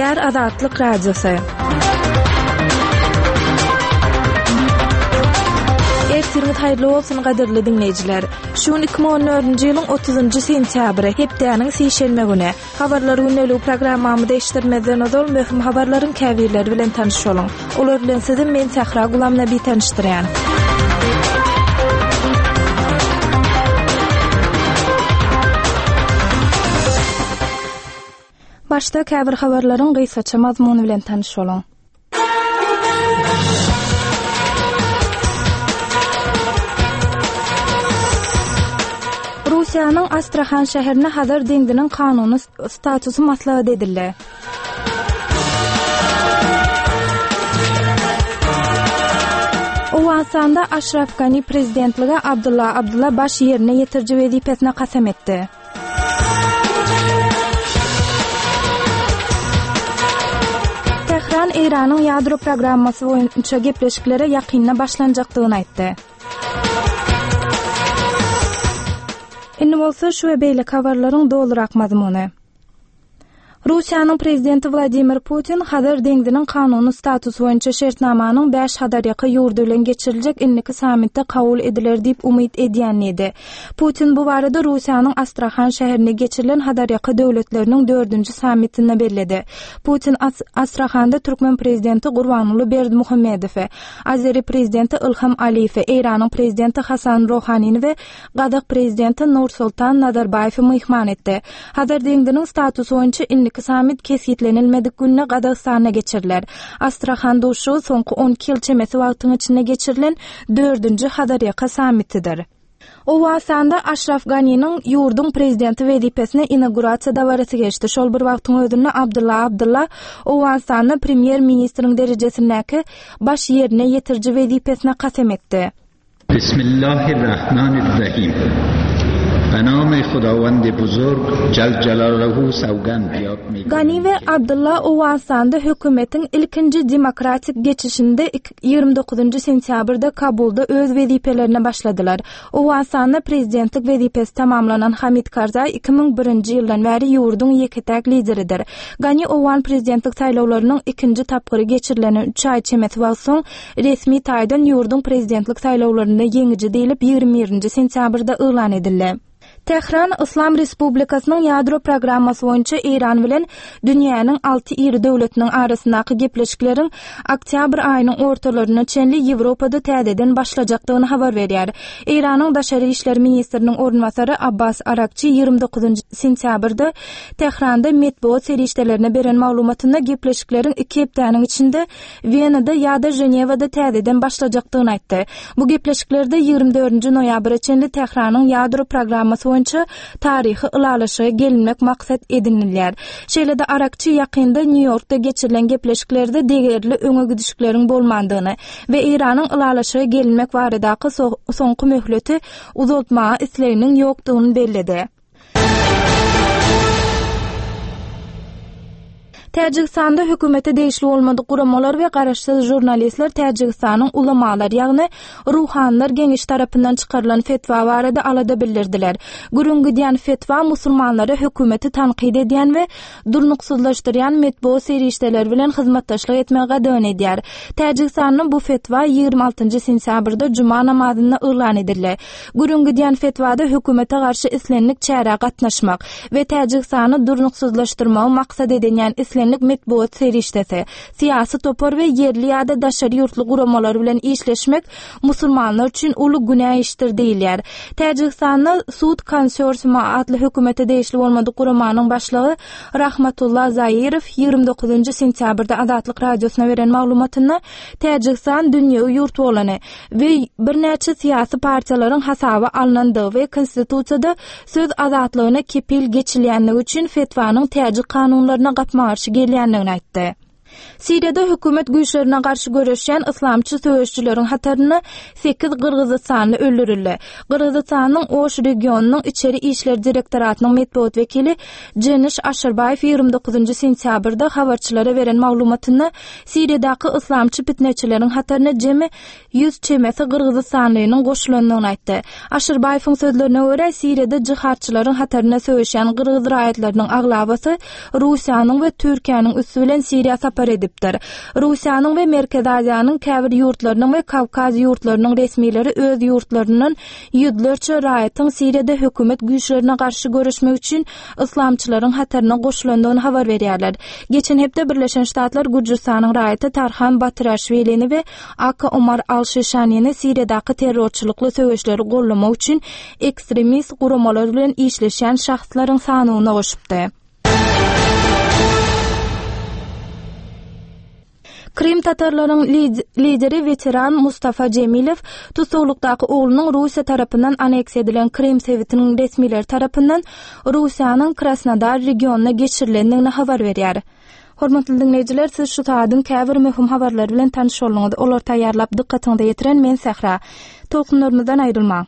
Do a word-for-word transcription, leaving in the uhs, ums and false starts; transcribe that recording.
Gepleýär Azatlyk Radiosy. Ertiriňiz haýyrly bolsun gadyrly diňleýjiler. Şu gün iki müň on dördünji ýylyň otuzynjy sentýabry, hepdäniň sişenbe güni. Habarlar gündeligi programmamyzy eşitdirmezden ozal möhüm habarlaryň käbirleri bilen tanyş boluň. Olar bilen sizi men Sähra Gulamnabi tanyşdyrýan. Başda käbir habarlaryň gysgaça mazmuny bilen tanyş boluň. Russiýanyň Astrahan şäherinde Hazar deňziniň kanuny statusy maslahat edildi. Owganystanda Aşraf Gani prezidentlige Abdulla Abdulla baş ýerine ýetiriji wezipesine kasam etdi. Tähran Eýranyň ýadro programmasy boýunça gepleşiklere ýakynda başlanjakdygyny aýtdy. Indi bolsa şu we beýleki habarlaryň dolurak mazmuny. Russiýanyň prezidenti Wladimir Putin Hazar deňziniň kanuny statusy boýunça şertnamanyň bäş Hazarýaka ýurdy bilen geçiriljek indiki sammitde kabul ediler diýip umyt edýän diýdi. Putin bu barada Russiýanyň Astrahan şäherinde geçirilen Hazarýaka döwletleriniň dördünji sammitinde belledi. Putin As-, Astrahanda türkmen prezidenti Gurbanguly Berdimuhamedowy, Azeri prezidenti Ilham Aliýewi, Eýranyň prezidenti Hasan Rohanini we Gazak prezidenti Nursultan Nazarbaýewi myhman etdi. Hazar deňziniň statusy boýunça indiki sammit kesgitlenilmedik günde Gazagystanda geçiriler. Astrahan duşuşygy soňky on iki ýyl çemesi wagtyň içinde geçirilen dördünji Hazarýaka sammitidir. Owganystanda Aşraf Ganiniň ýurduň prezidenti wezipesine inaugurasiýa dabarasy geçdi. Şol bir wagtyň özünde Abdulla Abdulla Owganystanda premýer-ministriň derejesindäki baş ýerine ýetiriji wezipesine kasam etdi. Bismillahirrahmanirrahim. Be name Hudawand buzurg Cel Celaluhu sawgand yad mi Gani we Abdulla Owganystanda hökümetiň ilkinji demokratik geçişinde ýigrimi dokuzynjy sentýabrda Kabulda öz wezipelerine başladylar. Owganystanda prezidentlik wezipesi tamamlanan Hamid Karzai iki müň birinji ýyldan bäri ýurduň ýeke-täk lideridir. Gani Owgan prezidentlik saýlawlarynyň ikinji tapgyry geçirilene üç aý çemesi wagt soň resmi taýdan ýurduň prezidentlik saýlawlarynda ýeňiji diýlip ýigrimi birinji sentýabrda yglan edildi. Tähran Islam Respublikasynyň ýadro programmasy boýunça Eýran bilen dünýäniň alty iri döwletiniň arasyndaky gepleşikleriň oktýabr aýynyň ortalaryna çenli Ýewropada täzeden başlajakdygyny habar berýär. Eýranyň daşary işler ministriniň orunbasary Abbas Arakçy ýigrimi dokuzynjy sentýabrda Tähranda metbugat serişdelerine beren maglumatynda gepleşikleriň iki hepdäniň içinde Wenada ýa-da Ženewada täzeden başlajakdygyny aýtdy. Bu gepleşiklerde ýigrimi dördünji noýabra çenli Tähranyň ýadro programmasy boýunça taryhy ylalaşyga gelinmek maksat edinilýär. Şeýle-de Arakçy ýakynda Nýu-Ýorkda geçirilen gepleşiklerde degerli öňe gidişikleriň bolmandygyny we Eýranyň ylalaşyga gelinmek baradaky so-, soňky möhleti uzaltmaga isleginiň ýokdugyny belledi. Täjigistanda hökümete degişli bolmadyk guramalar we garaşsyz žurnalistler Täjigistanyň ulamalar, ýagny ruhanylar geňeşi tarapyndan çykarylan fetwa barada alada bildirdiler. Gürrüň gidýän fetwa musulmanlara hökümeti tankyt edýän we durnuksyzlaşdyrýan metbugat serişdeleri bilen hyzmatdaşlyk etmegi gadagan edýär. Täjigistanyň bu fetwa ýigrimi altynjy sentýabrda juma namazynda yglan edildi. Gürrüň gidýän fetwada hökümete garşy islendik çärä gatnaşmak we Täjigistany durnuksyzlaşdyrmagy maksat edinýän islendik metbugat serişdesi, syýasy topar we ýerli ýa-da daşary ýurtly guramalar bilen işleşmek musulmanlar üçin uly günä işdir diýilýär. Täjigistanda Sud konsorsiumy atly hökümete degişli bolmadyk guramanyň başlygy Rahmatullah Zairow ýigrimi dokuzynjy sentýabrda Azatlyk radiosyna beren maglumatynda Täjigistan dünýewi ýurt bolany we birnäçe syýasy partiýalaryň hasaba alnandygy we konstitusiýada söz azatlygyna kepil geçilýändigi üçin fetwanyň täjik kanunlaryna gapma-garşy gelýändigini aýtdy. Siriýada hökümet güýçlerine garşy göreşýän yslamçy söweşijileriň hatarynda sekiz gyrgyzystanly öldürildi. Gyrgyzystanyň Oş regionynyň içeri işler direktoratynyň metbugat wekili Jeniş Aşyrbaýew ýigrimi dokuzynjy sentýabrda habarçylara beren maglumatynda Siriýadaky yslamçy pitneçileriň hataryna jemi ýüz çemesi gyrgyzystanlynyň goşulandygyny aýtdy. Aşyrbaýewiň sözlerine görä, Siriýada jihadçylaryň hatarynda söweşýän gyrgyz raýatlarynyň aglabasy Russiýanyň we Türkiýäniň üsti bilen Siriýa sapar edipdir. Russiýanyň we Merkezi Aziýanyň käbir ýurtlarynyň we Kawkaz ýurtlarynyň resmileri öz ýurtlaryndan ýüzlerçe raýatyň Siriýada hökümet güýçlerine garşy göreşmek üçin yslamçylaryň hataryna goşulandygyny habar berýärler. Geçen hepde Birleşen Ştatlar Gürjüstanyň raýaty Tarhan Batyraşwilini we Aka Omar Al-Şişanini Siriýadaky terrorçylykly söweşleri gollamak üçin ekstremist guramalar bilen işleşýän şahslaryň sanawyna goşupdy. Krym tatarlaryň lideri weteran Mustafa Jemilew tussaglykdaky oglunyň Russiýa tarapyndan aneksiýa edilen Krym sebitiniň resmileri tarapyndan Russiýanyň Krasnodar regionyna geçirilendigini habar berýär. Hormatly diňleýjiler, siz şu saadyň käbir möhüm habarlary bilen tanyş bolduňyz. Olary taýýarlap dykgatyňyza ýetiren men Sähra. Tolkunlarymyzdan aýrylmaň.